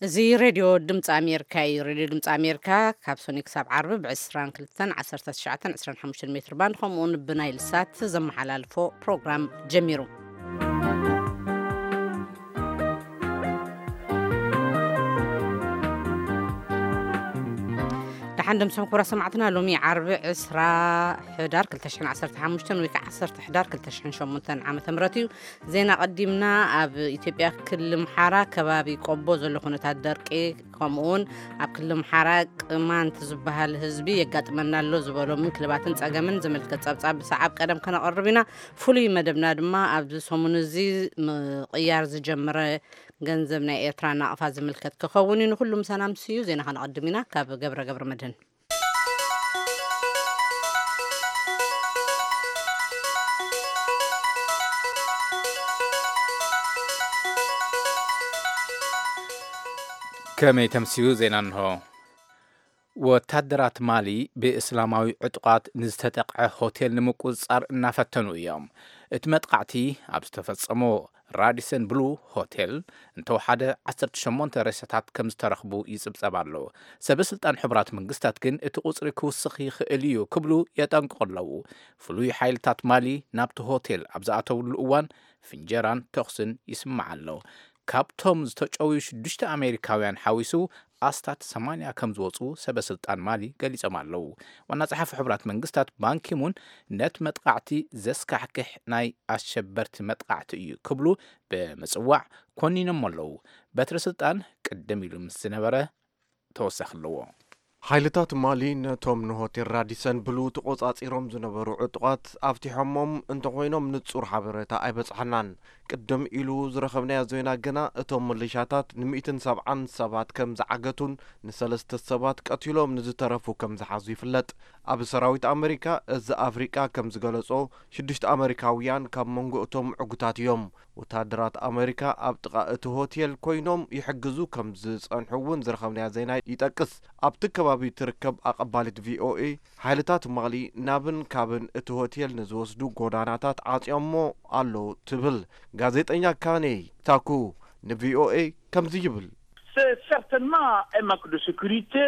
እዚ ሬድዮ ድምፂ ኣሜሪካ እዩ። ሬድዮ ድምፂ ኣሜሪካ ካብ ሶኒ ክሳብ ዓርቢ ብ22፣ 19፣ 25 ሜትር ባንድ ከምኡውን ብናይል ሳት ዘመሓላልፎ ፕሮግራም ጀሚሩ። ደሓን ደምስኹም ክቡራት ሰማዕትና፣ ሎሚ ዓርቢ ዕስራ ሕዳር ክልተ ሽሕን ዓሰርተ ሓሙሽተን ወይ ከዓ ዓሰርተ ሕዳር ክልተ ሽሕን ሸሞንተን ዓመተ ምህረት እዩ። ዜና ቀዲምና። ኣብ ኢትዮጵያ ክልል ኣምሓራ ከባቢ ቆቦ ዘሎ ኩነታት ደርቂ ከምኡውን ኣብ ክልል ኣምሓራ ቅማንት ዝበሃል ህዝቢ የጋጥመና ኣሎ ዝበሎ ምንክልባትን ጸገምን ዝምልከት ጸብጻብ ብሰዓብ ቀደም ከነቐርብ ኢና። ፍሉይ መደብና ድማ ኣብዚ ሰሙን እዚ ምቕያር ዝጀመረ ገንዘብ ናይ ኤርትራ ናቕፋ ዝምልከት ክኸውን እዩ። ንኩሉ ምሳና ምስ እዩ ዜና ከነቐድም ኢና። ካብ ገብረ ገብረ መድህን። ከመይ ተምስዩ ዜና እንሆ። ወታደራት ማሊ ብእስላማዊ ዕጡቓት ንዝተጠቕዐ ሆቴል ንምቁጽጻር እናፈተኑ እዮም። እቲ መጥቃዕቲ ኣብ ዝተፈጸሞ ራዲሰን ብሉ ሆቴል እንተወሓደ ዓሰርተ ሸሞንተ ሬሳታት ከም ዝተረኽቡ ይጽብጸብ ኣሎ። ሰበ ስልጣን ሕቡራት መንግስታት ግን እቲ ቁጽሪ ክውስኽ ይኽእል እዩ ክብሉ የጠንቅቑ ኣለዉ። ፍሉይ ሓይልታት ማሊ ናብቲ ሆቴል ኣብ ዝኣተውሉ እዋን ፍንጀራን ተኹስን ይስማዕ ኣሎ። ካብቶም ዝተጨውዩ ሽዱሽተ ኣሜሪካውያን ሓዊሱ ኣስታት ሰማንያ ከም ዝወፁ ሰበ ስልጣን ማሊ ገሊጾም ኣለዉ። ዋና ጸሓፊ ሕቡራት መንግስታት ባንኪሙን ነቲ መጥቃዕቲ ዘስካሕክሕ ናይ ኣሸበርቲ መጥቃዕቲ እዩ ክብሉ ብምጽዋዕ ኮኒኖም ኣለዉ። በትሪ ስልጣን ቅድም ኢሉ ምስ ዝነበረ ተወሳኺ ኣለዎ። ሓይልታት ማሊ ነቶም ንሆቴል ራዲሰን ብሉ ተቖጻጺሮም ዝነበሩ ዕጡቓት ኣፍቲሖሞም እንተኾይኖም ንጹር ሓበሬታ ኣይበጽሓናን። ቅድም ኢሉ ዝረኸብናዮ ዜና ግና እቶም ምሊሻታት ንሚእትን ሰብዓን ሰባት ከም ዝዓገቱን ንሰለስተ ሰባት ቀቲሎም ንዝተረፉ ከም ዝሓዙ ይፍለጥ። ኣብ ሰራዊት ኣመሪካ እዚ ኣፍሪቃ ከም ዝገለጾ ሽዱሽተ ኣመሪካውያን ካብ መንጎ እቶም ዕጉታት እዮም። ወታደራት ኣመሪካ ኣብ ጥቓ እቲ ሆቴል ኮይኖም ይሕግዙ ከም ዝጸንሑ እውን ዝረኸብናዮ ዜና ይጠቅስ። ኣብቲ ከባቢ ትርከብ ኣቐባሊት ቪኦኤ ሓይልታት ማሊ ናብን ካብን እቲ ሆቴል ንዝወስዱ ጎዳናታት ዓጽዮሞ ኣለዉ ትብል። ጋዜጠኛ ካኔ ታኩ ንቪኦኤ ከምዚ ይብል። C'est certainement un manque de sécurité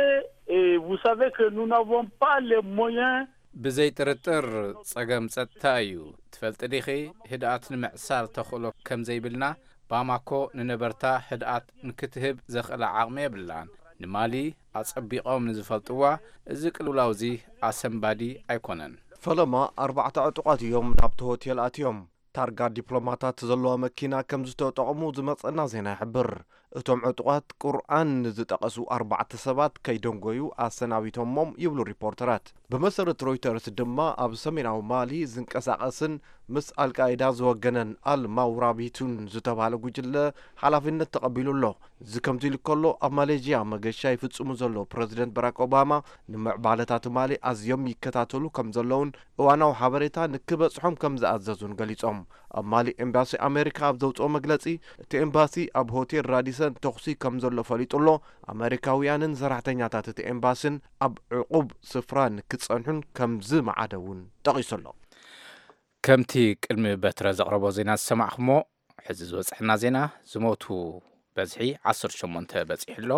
et vous savez que nous n'avons pas les moyens. ብዘይ ጥርጥር ጸገም ጸጥታ እዩ። ትፈልጢ ዲኺ፣ ህድኣት ንምዕሳል ተኽእሎ ከም ዘይብልና። ባማኮ ንነበርታ ህድኣት ንክትህብ ዘኽእላ ዓቕሚ የብላን። ንማሊ ኣጸቢቖም ንዝፈልጥዋ፣ እዚ ቅልውላውዚ ኣሰንባዲ ኣይኮነን። ፈለማ ኣርባዕተ ዕጡቓት እዮም ናብቲ ሆቴል ኣትዮም። ታርጋ ዲፕሎማታት ዘለዋ መኪና ከም ዝተጠቕሙ ዝመጸና ዜና ይሕብር። እቶም ዕጡቓት ቁርኣን ንዝጠቐሱ ኣርባዕተ ሰባት ከይደንጎዩ ኣሰናቢቶሞም ይብሉ ሪፖርተራት። ብመሰረት ሮይተርስ ድማ ኣብ ሰሜናዊ ማሊ ዝንቀሳቐስን ምስ ኣልቃይዳ ዝወገነን ኣል ማውራቢቱን ዝተባህለ ጉጅለ ሓላፊነት ተቐቢሉ ኣሎ። እዚ ከምዚ ኢሉ ከሎ ኣብ ማሌዥያ መገሻ ይፍጽሙ ዘሎ ፕረዚደንት ባራክ ኦባማ ንምዕባለታት ማሊ ኣዝዮም ይከታተሉ ከም ዘለውን እዋናዊ ሓበሬታ ንክበጽሖም ከም ዝኣዘዙን ገሊጾም። ኣብ ማሊ ኤምባሲ ኣሜሪካ ኣብ ዘውፅኦ መግለጺ እቲ ኤምባሲ ኣብ ሆቴል ራዲሰን ተኹሲ ከም ዘሎ ፈሊጡ ኣሎ። ኣሜሪካውያንን ሰራሕተኛታት እቲ ኤምባስን ኣብ ዕቑብ ስፍራ ንክጸንሑን ከም ዝመዓደ እውን ጠቒሱ ኣሎ። ከምቲ ቅድሚ በትረ ዘቕረቦ ዜና ዝሰማዕኹሞ፣ ሕዚ ዝበጽሐና ዜና፣ ዝሞቱ በዝሒ ዓሰርተ ሸሞንተ በጺሑ ኣሎ።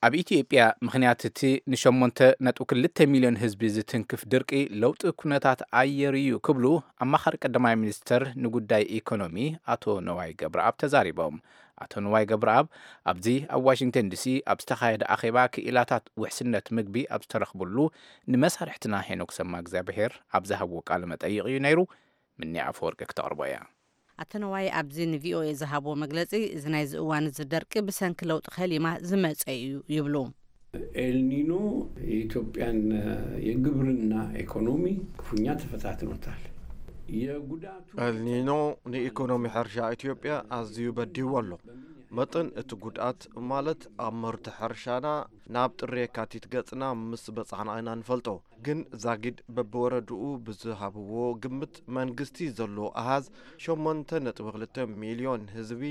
ኣብ ኢትዮጵያ ምኽንያት እቲ ንሸሞንተ ነጥቢ ክልተ ሚልዮን ህዝቢ ዝትንክፍ ድርቂ ለውጢ ኩነታት ኣየር እዩ ክብሉ ኣማኻሪ ቀዳማይ ሚኒስተር ንጉዳይ ኢኮኖሚ ኣቶ ነዋይ ገብረኣብ ተዛሪቦም። ኣቶ ነዋይ ገብረኣብ ኣብዚ ኣብ ዋሽንግተን ዲሲ ኣብ ዝተኻየደ ኣኼባ ክኢላታት ውሕስነት ምግቢ ኣብ ዝተረኽብሉ ንመሳርሕትና ሄኖክ ሰማ እግዚኣብሔር ኣብ ዝሃብዎ ቃለ መጠይቕ እዩ ነይሩ። ምኒ ኣፈወርቂ ክተቕርቦ እያ። ኣቶ ነዋይ ኣብዚ ንቪኦኤ ዝሃብዎ መግለጺ፣ እዚ ናይዚ እዋን እዚ ደርቂ ብሰንኪ ለውጢ ከሊማ ዝመጸ እዩ ይብሉ። ኤልኒኖ የኢትዮጵያን የግብርና ኢኮኖሚ ክፉኛ ተፈታትኖታል። የጉዳቱ ኤልኒኖ ንኢኮኖሚ ሕርሻ ኢትዮጵያ ኣዝዩ በዲዎ ኣሎ። መጠን እቲ ጉድኣት ማለት ኣብ ምህርቲ ሕርሻና ናብ ጥሪ የካቲት ገጽና ምስ በጻሕና ኢና ንፈልጦ። ግን ዛጊድ በብወረድኡ ብዝሃብዎ ግምት መንግስቲ ዘሎ ኣሃዝ ሸሞንተ ነጥቢ ክልተ ሚልዮን ህዝቢ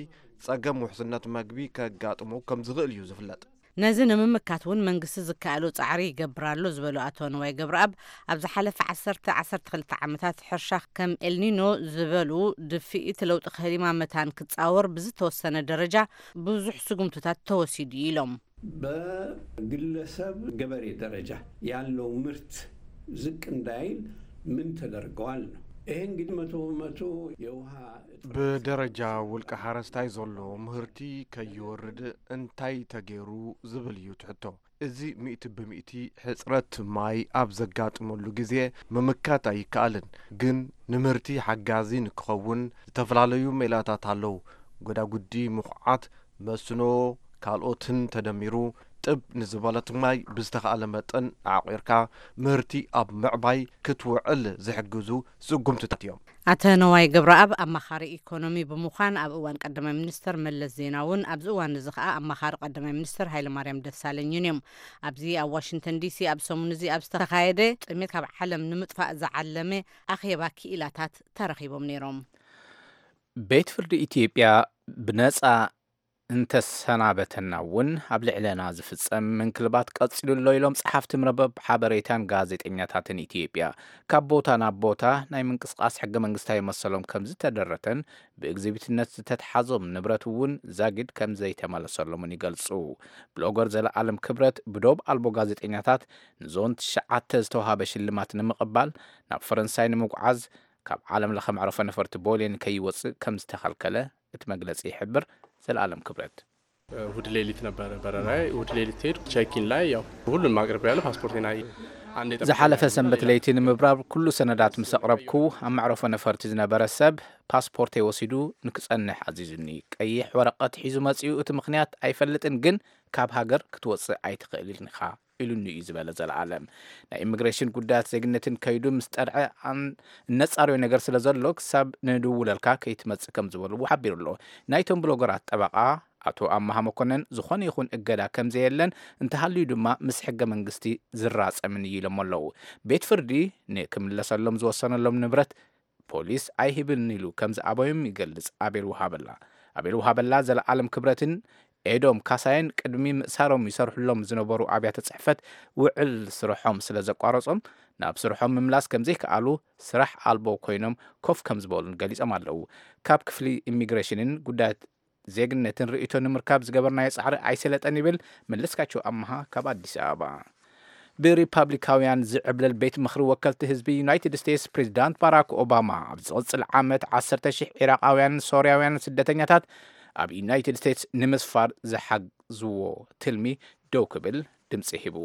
ጸገም ውሕስነት መግቢ ከጋጥሞ ከም ዝኽእል እዩ ዝፍለጥ። ነዚ ንምምካት እውን መንግስቲ ዝከኣሎ ጻዕሪ ይገብር ኣሎ ዝበሉ ኣቶ ንዋይ ገብረኣብ፣ ኣብ ዝሓለፈ ዓሰርተ ዓሰርተ ክልተ ዓመታት ሕርሻ ከም ኤልኒኖ ዝበሉ ድፍኢት ለውጢ ክሊማ መታን ክጻወር ብዝተወሰነ ደረጃ ብዙሕ ስጉምትታት ተወሲዱ ኢሎም። በግለሰብ ገበሬ ደረጃ ያለው ምርት ዝቅ እንዳይል ምን ተደርገዋል ነው። ይሄ እንግዲህ መቶ በመቶ የውሃ ብደረጃ ውልቀ ሓረስታይ ዘሎ ምህርቲ ከይወርድ እንታይ ተገይሩ ዝብል እዩ ትሕቶ። እዚ ሚእቲ ብሚእቲ ሕፅረት ማይ ኣብ ዘጋጥመሉ ግዜ ምምካት ኣይከኣልን፣ ግን ንምህርቲ ሓጋዚ ንክኸውን ዝተፈላለዩ ሜላታት ኣለዉ። ጎዳጉዲ፣ ምኹዓት፣ መስኖ፣ ካልኦትን ተደሚሩ ጥብ ንዝበለት ማይ ብዝተኻእለ መጠን ኣዕቒርካ ምህርቲ ኣብ ምዕባይ ክትውዕል ዝሕግዙ ስጉምትታት እዮም። ኣተ ነዋይ ገብረኣብ ኣማኻሪ ኢኮኖሚ ብምዃን ኣብ እዋን ቀዳማይ ሚኒስተር መለስ ዜናውን ኣብዚ እዋን እዚ ከኣ ኣማኻሪ ቀዳማይ ሚኒስተር ሃይለማርያም ደሳለኝን እዮም። ኣብዚ ኣብ ዋሽንግተን ዲሲ ኣብ ሰሙን እዚ ኣብ ዝተኻየደ ጥሜት ካብ ዓለም ንምጥፋእ ዝዓለመ ኣኼባ ክኢላታት ተረኺቦም ነይሮም። ቤት ፍርዲ ኢትዮጵያ ብነጻ እንተሰናበተና እውን ኣብ ልዕለና ዝፍጸም ምንክልባት ቀጺሉ ኣሎ ኢሎም ጸሓፍቲ መርበብ ሓበሬታን ጋዜጠኛታትን ኢትዮጵያ። ካብ ቦታ ናብ ቦታ ናይ ምንቅስቓስ ሕገ መንግስታዊ መሰሎም ከም ዝተደረተን ብእግዚቢትነት ዝተትሓዞም ንብረት እውን ዛጊድ ከም ዘይተመለሰሎምን ይገልጹ። ብሎገር ዘለኣለም ክብረት ብዶብ ኣልቦ ጋዜጠኛታት ንዞን ትሽዓተ ዝተዋሃበ ሽልማት ንምቕባል ናብ ፈረንሳይ ንምጉዓዝ ካብ ዓለም ለኸ መዕረፎ ነፈርቲ ቦሌ ንከይወፅእ ከም ዝተኸልከለ እቲ መግለፂ ይሕብር። ዘለኣለም ክብረት። እሁድ ሌሊት ነበረ በረራዬ። እሁድ ሌሊት ሄድኩ። ቼኪን ላይ ያው ሁሉንም አቅርቤያለሁ። ፓስፖርቴን አይ አንድ የጠበቀኝ ዝሓለፈ ነገር ሰንበት የለም። ለይቲ ንምብራር ኩሉ ሰነዳት ምስ ኣቕረብኩ ኣብ መዕረፎ ነፈርቲ ዝነበረ ሰብ ፓስፖርተይ ወሲዱ ንክጸንሕ ኣዚዙኒ። ቀይሕ ወረቐት ሒዙ መጺኡ። እቲ ምኽንያት ኣይፈልጥን፣ ግን ካብ ሃገር ክትወጽእ ኣይትኽእልን ኢኻ ኢሉኒ እዩ ዝበለ ዘለኣለም። ናይ ኢሚግሬሽን ጉዳያት ዜግነትን ከይዱ ምስ ጠርዐ ኣን- እነጻርዮ ነገር ስለ ዘሎ ክሳብ ንድውለልካ ከይትመጽእ ከም ዝበልዎ ሓቢሩ ኣሎ። ናይቶም ብሎገራት ጠበቓ ኣቶ ኣማሃ መኮነን ዝኾነ ይኹን እገዳ ከም ዘየለን እንተሃልዩ ድማ ምስ ሕገ መንግስቲ ዝራጸምን እዩ ኢሎሞ ኣለዉ። ቤት ፍርዲ ንክምለሰሎም ዝወሰነሎም ንብረት ፖሊስ ኣይህብን ኢሉ ከም ዝኣበዮም ይገልጽ ኣቤል ውሃበላ። ኣቤል ውሃበላ ዘለኣለም ክብረትን ኤዶም ካሳየን ቅድሚ ምእሳሮም ይሰርሕሎም ዝነበሩ ኣብያተ ጽሕፈት ውዕል ስርሖም ስለ ዘቋረጾም ናብ ስርሖም ምምላስ ከም ዘይከኣሉ ስራሕ ኣልቦ ኮይኖም ኮፍ ከም ዝበሉን ገሊጾም ኣለዉ። ካብ ክፍሊ ኢሚግሬሽንን ጉዳያት ዜግነትን ርእይቶ ንምርካብ ዝገበርናዮ ጻዕሪ ኣይሰለጠን ይብል መለስካቸው ኣመሃ ካብ ኣዲስ ኣበባ። ብሪፓብሊካውያን ዝዕብለል ቤት ምኽሪ ወከልቲ ህዝቢ ዩናይትድ ስቴትስ ፕሬዚዳንት ባራክ ኦባማ ኣብ ዝቕጽል ዓመት ዓሰርተ ሽሕ ዒራቃውያን ሶርያውያን ስደተኛታት ኣብ ዩናይትድ ስቴትስ ንምስፋር ዝሓግዝዎ ትልሚ ደው ክብል ድምፂ ሂቡ።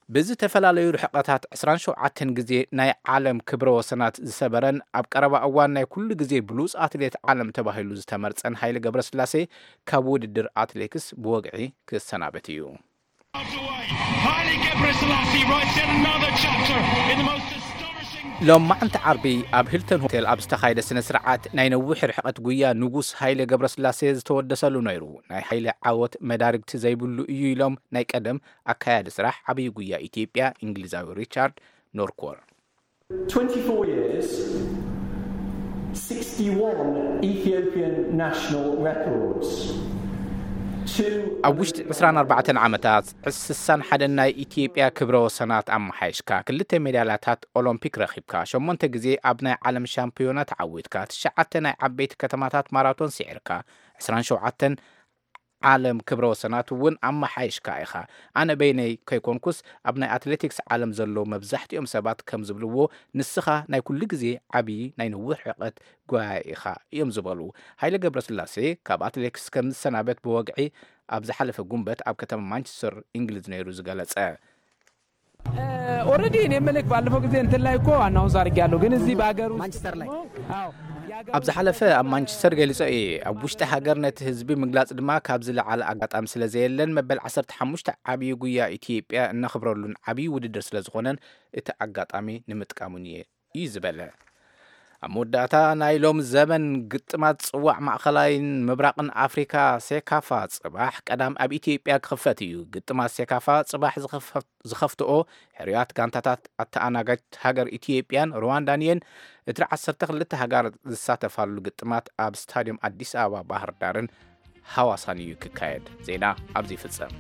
ብዝተፈላለዩ ርሕቐታት ዕስራን ሸውዓተን ግዜ ናይ ዓለም ክብረ ወሰናት ዝሰበረን ኣብ ቀረባ እዋን ናይ ኩሉ ግዜ ብሉፅ ኣትሌት ዓለም ተባሂሉ ዝተመርፀን ሃይለ ገብረስላሴ ካብ ውድድር ኣትሌክስ ብወግዒ ክሰናበት እዩ። Haile Gebrselassie writes yet another chapter in the most astonishing ሎማዕንቲ ዓርቢ ኣብ ሂልተን ሆቴል ኣብ ዝተኻየደ ስነ ስርዓት ናይ ነዊሕ ርሕቐት ጉያ ንጉስ ሃይለ ገብረስላሴ ዝተወደሰሉ ነይሩ። ናይ ሃይለ ዓወት መዳርግቲ ዘይብሉ እዩ ኢሎም ናይ ቀደም ኣካያዲ ስራሕ ዓብዪ ጉያ ኢትዮጵያ እንግሊዛዊ ሪቻርድ ኖርኮር። twenty-four years, sixty-one Ethiopian national records. Two ኣብ ውሽጢ ዕስራን ኣርባዕተን ዓመታት ስሳን ሓደን ናይ ኢትዮጵያ ክብረ ወሰናት ኣመሓይሽካ ክልተ ሜዳልያታት ኦሎምፒክ ረኺብካ፣ ሸሞንተ ግዜ ኣብ ናይ ዓለም ሻምፒዮና ተዓዊትካ፣ ትሽዓተ ናይ ዓበይቲ ከተማታት ማራቶን ስዒርካ፣ ዕስራን ሸውዓተን ዓለም ክብረ ወሰናት እውን ኣመሓይሽካ ኢኻ። ኣነ በይነይ ከይኮንኩስ ኣብ ናይ ኣትሌቲክስ ዓለም ዘለዉ መብዛሕትኦም ሰባት ከም ዝብልዎ ንስኻ ናይ ኩሉ ግዜ ዓብዪ ናይ ነዊሕ ርሕቀት ጓያይ ኢኻ እዮም ዝበሉ። ሃይለ ገብረስላሴ ካብ ኣትሌቲክስ ከም ዝሰናበት ብወግዒ ኣብ ዝሓለፈ ጉንበት ኣብ ከተማ ማንቸስተር እንግሊዝ ነይሩ ዝገለጸ። ኦልሬዲ እኔ ምልክ ባለፈው ጊዜ እንትን ላይ እኮ አናውንስ አድርጌያለሁ፣ ግን እዚህ በሀገር ውስጥ ማንቸስተር ላይ አዎ ኣብ ዝሓለፈ ኣብ ማንቸስተር ገሊጸ እየ። ኣብ ውሽጢ ሃገር ነቲ ህዝቢ ምግላጽ ድማ ካብ ዝለዓለ ኣጋጣሚ ስለ ዘየለን መበል ዓሰርተ ሓሙሽተ ዓብዪ ጉያ ኢትዮጵያ እነኽብረሉን ዓብዪ ውድድር ስለ ዝኾነን እቲ ኣጋጣሚ ንምጥቃሙን እየ እዩ ዝበለ። ኣብ መወዳእታ ናይ ሎም ዘመን ግጥማት ጽዋዕ ማእኸላይን ምብራቕን ኣፍሪካ ሴካፋ ጽባሕ ቀዳም ኣብ ኢትዮጵያ ክኽፈት እዩ። ግጥማት ሴካፋ ጽባሕ ዝኸፈት- ዝኸፍትኦ ሕርያት ጋንታታት ኣተኣናጋጅት ሃገር ኢትዮጵያን ሩዋንዳን እየን። እቲ ዓሰርተ ክልተ ሃገራት ዝሳተፋሉ ግጥማት ኣብ ስታድዮም ኣዲስ ኣበባ ባህር ዳርን ሃዋሳን እዩ ክካየድ። ዜና ኣብዚ ይፍጸም።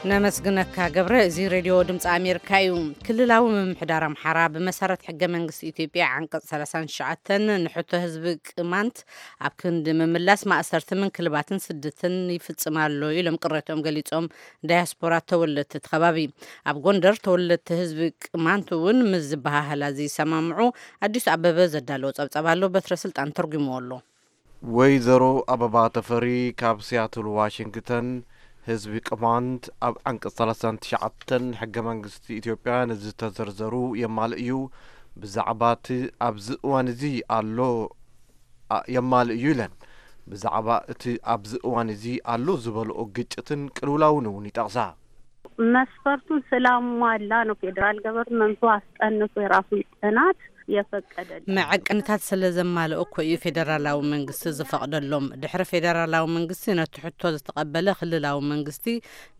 ነመስግነካ ገብረ። እዚ ሬድዮ ድምፂ ኣሜሪካ እዩ። ክልላዊ ምምሕዳር ኣምሓራ ብመሰረት ሕገ መንግስቲ ኢትዮጵያ ዓንቀፅ ሰላሳን ትሽዓተን ንሕቶ ህዝቢ ቅማንት ኣብ ክንዲ ምምላስ ማእሰርቲ፣ ምንክልባትን ስደትን ይፍፅም ኣሎ ኢሎም ቅሬትኦም ገሊፆም። ዳያስፖራ ተወለድቲ እቲ ከባቢ ኣብ ጎንደር ተወለድቲ ህዝቢ ቅማንት እውን ምስ ዝበሃህላ ዘይሰማምዑ ኣዲሱ ኣበበ ዘዳለዎ ጸብጻብ ኣሎ። በትረ ስልጣን ተርጉምዎ ኣሎ። ወይዘሮ ኣበባ ተፈሪ ካብ ሲያትል ዋሽንግተን፣ ህዝቢ ቅማንት ኣብ ዓንቀጽ ሰላሳን ትሽዓተን ሕገ መንግስቲ ኢትዮጵያ ንዝተዘርዘሩ የማልእ እዩ። ብዛዕባ እቲ ኣብዚ እዋን እዚ ኣሎ ኣ- የማልእ እዩ ኢለን። ብዛዕባ እቲ ኣብዚ እዋን እዚ ኣሎ ዝበልኦ ግጭትን ቅልውላውን እውን ይጠቕሳ። መስፈርቱን ስላሟላ ነው ፌዴራል ገቨርንመንቱ አስጠንቶ የራሱን ጥናት የፈቀደልን። መዐቀንታት ስለ ዘማልኡ እኮ እዩ ፌደራላዊ መንግስቲ ዝፈቕደሎም። ድሕሪ ፌደራላዊ መንግስቲ ነቲ ሕቶ ዝተቐበለ ክልላዊ መንግስቲ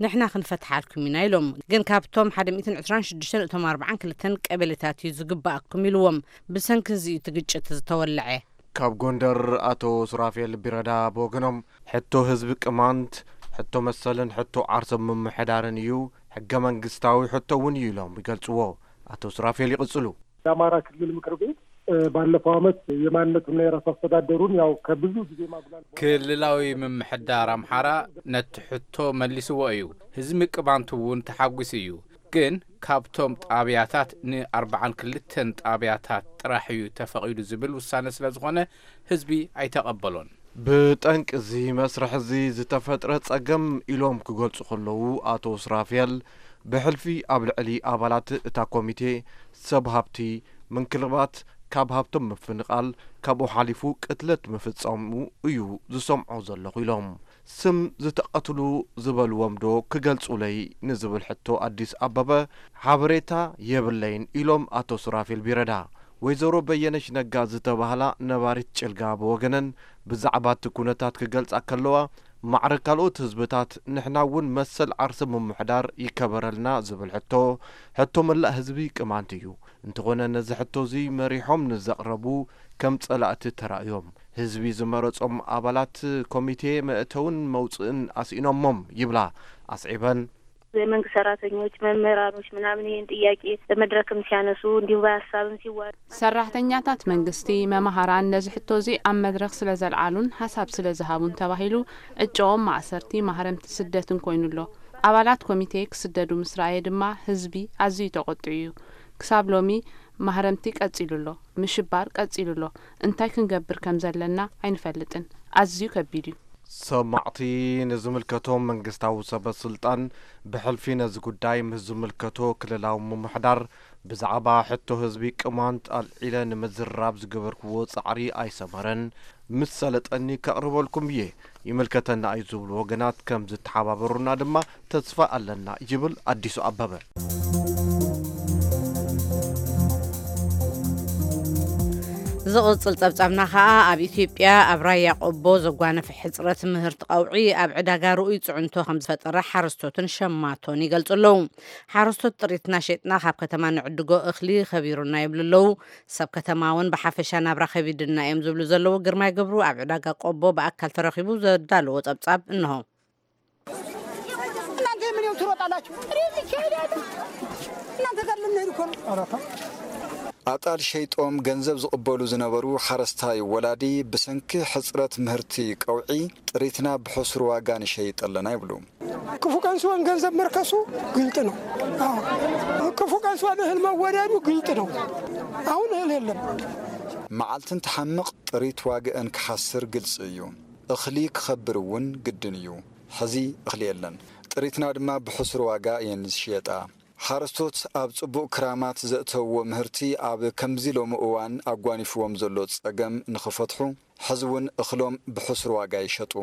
ንሕና ክንፈትሓልኩም ኢና ኢሎም። ግን ካብቶም ሓደ ሚእትን ዕስራን ሽዱሽተን እቶም ኣርባዓን ክልተን ቀበሌታት እዩ ዝግባኣኩም ኢልዎም። ብሰንኪ እዚ እዩ እቲ ግጭት ዝተወለዐ። ካብ ጎንደር ኣቶ ሱራፌል ቢረዳ ብወገኖም፣ ሕቶ ህዝቢ ቅማንት ሕቶ መሰልን ሕቶ ዓርሶም ምምሕዳርን እዩ፣ ሕገ መንግስታዊ ሕቶ እውን እዩ ኢሎም ይገልጽዎ። ኣቶ ሱራፌል ይቕጽሉ። የአማራ ክልል ምክር ቤት ባለፈው ዓመት የማንነትና የራስ አስተዳደሩን ያው ከብዙ ጊዜ ማጉላል ክልላዊ ምምሕዳር ኣምሓራ ነቲ ሕቶ መሊስዎ እዩ። ህዝቢ ቅማንት እውን ተሓጒሱ እዩ። ግን ካብቶም ጣብያታት ንኣርባዓን ክልተን ጣብያታት ጥራሕ እዩ ተፈቒዱ ዝብል ውሳነ ስለ ዝኾነ ህዝቢ ኣይተቐበሎን። ብጠንቂ እዚ መስርሕ እዚ ዝተፈጥረ ጸገም ኢሎም ክገልጹ ከለዉ ኣቶ ሱራፌል ብሕልፊ ኣብ ልዕሊ ኣባላት እታ ኮሚቴ ሰብ ሃብቲ ምንክልባት ካብ ሃብቶም ምፍንቓል ካብኡ ሓሊፉ ቅትለት ምፍጸሙ እዩ ዝሰምዖ ዘለኹ ኢሎም። ስም ዝተቐትሉ ዝበልዎም ዶ ክገልጹለይ ንዝብል ሕቶ ኣዲስ ኣበበ ሓበሬታ የብለይን ኢሎም ኣቶ ሱራፌል ቢረዳ። ወይዘሮ በየነሽ ነጋ ዝተባህላ ነባሪት ጭልጋ ብወገነን ብዛዕባ እቲ ኩነታት ክገልጻ ከለዋ ማዕረ ካልኦት ህዝብታት ንሕና እውን መሰል ዓርሲ ምምሕዳር ይከበረልና ዝብል ሕቶ ሕቶ መላእ ህዝቢ ቅማንት እዩ። እንተኾነ ነዚ ሕቶ እዚ መሪሖም ንዘቕረቡ ከም ጸላእቲ ተራእዮም። ህዝቢ ዝመረጾም ኣባላት ኮሚቴ መእተውን መውጽእን ኣስኢኖሞም ይብላ ኣስዒበን። የመንግስት ሰራተኞች፣ መምህራኖች ምናምን ይህን ጥያቄ በመድረክም ሲያነሱ እንዲሁም በሀሳብም ሲዋ ሰራሕተኛታት መንግስቲ፣ መማህራን ነዚ ሕቶ እዚ ኣብ መድረኽ ስለ ዘልዓሉን ሓሳብ ስለ ዝሃቡን ተባሂሉ ዕጭኦም ማእሰርቲ፣ ማህረምቲ፣ ስደትን ኮይኑ ኣሎ። ኣባላት ኮሚቴ ክስደዱ ምስ ረኣየ ድማ ህዝቢ ኣዝዩ ተቖጢዑ እዩ። ክሳብ ሎሚ ማህረምቲ ቀጺሉ ኣሎ፣ ምሽባር ቀጺሉ ኣሎ። እንታይ ክንገብር ከም ዘለና ኣይንፈልጥን። ኣዝዩ ከቢድ እዩ። ሰማዕቲ ንዝምልከቶም መንግስታዊ ሰበ ስልጣን ብሕልፊ ነዚ ጉዳይ ምስ ዝምልከቶ ክልላዊ ምምሕዳር ብዛዕባ ሕቶ ህዝቢ ቅማንት ኣልዒለ ንምዝርራብ ዝገበርክዎ ጻዕሪ ኣይሰመረን። ምስ ሰለጠኒ ከቕርበልኩም እየ። ይምልከተና እዩ ዝብሉ ወገናት ከም ዝተሓባበሩና ድማ ተስፋ ኣለና ይብል ኣዲሱ ኣበበ። ዝቕጽል ጸብጻብና ከኣ ኣብ ኢትዮጵያ ኣብ ራያ ቆቦ ዘጓነፈ ሕጽረት ምህርቲ ቀውዒ ኣብ ዕዳጋ ርኡይ ጽዕንቶ ከም ዝፈጠረ ሓረስቶትን ሸማቶን ይገልጹ ኣለዉ። ሓረስቶት ጥሪትና ሸጥና ካብ ከተማ ንዕድጎ እኽሊ ከቢሩና ይብሉ ኣለዉ። ሰብ ከተማ እውን ብሓፈሻ ናብራ ከቢድና እዮም ዝብሉ ዘለዉ። ግርማይ ገብሩ ኣብ ዕዳጋ ቆቦ ብኣካል ተረኺቡ ዘዳለዎ ጸብጻብ እንሆ። እናንተ የምኔው ትሮጣላችሁ? እኔ እዚህ ይሄዳለሁ። እናንተ ጋር ልንሄድ እኮ ነው። ኧረ ተው። ኣጣል ሸይጦም ገንዘብ ዝቕበሉ ዝነበሩ ሓረስታይ ወላዲ ብሰንኪ ሕጽረት ምህርቲ ቀውዒ ጥሪትና ብሕሱር ዋጋ ንሸይጥ ኣለና ይብሉ። ክፉ ቀን ሲሆን ገንዘብ መርከሱ ግልጥ ነው። አዎ። ክፉ ቀን ሲሆን እህል መወደዱ ግልጥ ነው። አሁን እህል የለም። መዓልትን ትሓምቕ ጥሪት ዋግአን ክሓስር ግልጺ እዩ። እኽሊ ክኸብር እውን ግድን እዩ። ሕዚ እኽሊ የለን። ጥሪትና ድማ ብሕሱር ዋጋ እየን ዝሽየጣ። ሓረስቶት ኣብ ጽቡቕ ክራማት ዘእተውዎ ምህርቲ ኣብ ከምዚ ሎሚ እዋን ኣጓኒፍዎም ዘሎ ጸገም ንኽፈትሑ፣ ሕዚ እውን እኽሎም ብሕሱር ዋጋ ይሸጡ።